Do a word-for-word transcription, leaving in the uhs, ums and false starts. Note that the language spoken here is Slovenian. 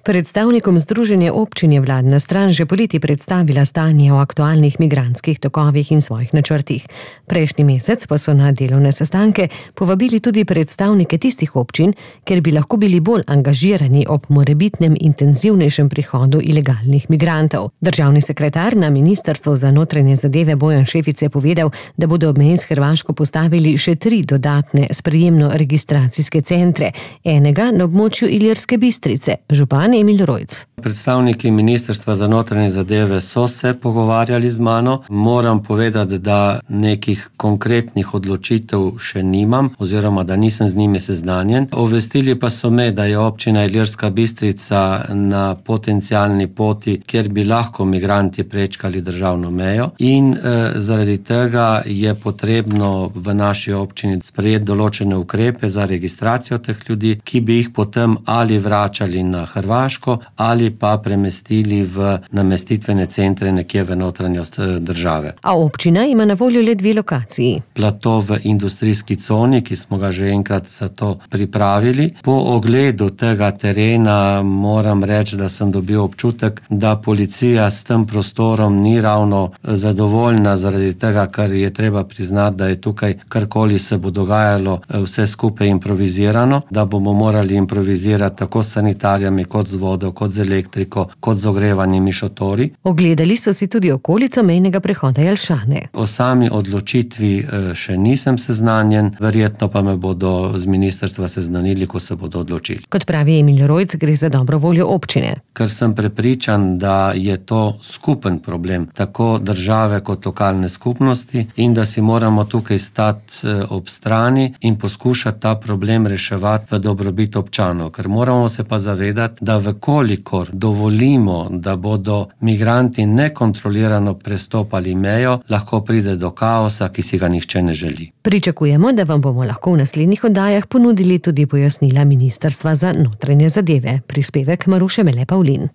Predstavnikom Združenja občin je vladna stran že poleti predstavila stanje o aktualnih migrantskih tokovih in svojih načrtih. Prejšnji mesec pa so na delovne sestanke povabili tudi predstavnike tistih občin, ker bi lahko bili bolj angažirani ob morebitnem intenzivnejšem prihodu ilegalnih migrantov. Državni sekretar na Ministrstvu za notranje zadeve Bojan Šefic je povedal, da bodo ob meji s Hrvaško postavili še tri dodatne sprejemno-registracijske centre, enega na območju Ilirske Bistrice. Župan Emil Rojc. Predstavniki Ministrstva za notranje zadeve so se pogovarjali z mano. Moram povedati, da nekih konkretnih odločitev še nimam, oziroma da nisem z njimi seznanjen. Obvestili pa so me, da je občina Ilirska Bistrica na potencialni poti, kjer bi lahko migranti prečkali državno mejo in eh, zaradi tega je potrebno v naši občini sprejeti določene ukrepe za registracijo teh ljudi, ki bi jih potem ali vračali na Hrvaško ali pa premestili v namestitvene centre nekje v notranjost države. A občina ima na voljo le dve lokaciji. Plato v industrijski coni, ki smo ga že enkrat za to pripravili. Po ogledu tega terena moram reči, da sem dobil občutek, da policija s tem prostorom ni ravno zadovoljna, zaradi tega, ker je treba priznati, da je tukaj karkoli se bo dogajalo vse skupaj improvizirano, da bomo morali improvizirati tako s sanitarijami, kot z vodo, kot z elektriko, kot z ogrevanimi šotori. Ogledali so si tudi okolico mejnega prehoda Jelšane. O sami odločitvi še nisem seznanjen, verjetno pa me bodo z ministrstva seznanili, ko se bodo odločili. Kot pravi Emil Rojc, gre za dobro voljo občine. Ker sem prepričan, da je to skupen problem, tako države kot lokalne skupnosti, in da si moramo tukaj stati ob strani in poskušati ta problem reševati v dobrobit občanov. Ker moramo se pa zavedati, da vkolikor dovolimo, da bodo migranti nekontrolirano prestopali mejo, lahko pride do kaosa, ki si ga nihče ne želi. Pričakujemo, da vam bomo lahko v naslednjih oddajah ponudili tudi pojasnila Ministrstva za notranje zadeve. Prispevek Maruše Mele Pavlin.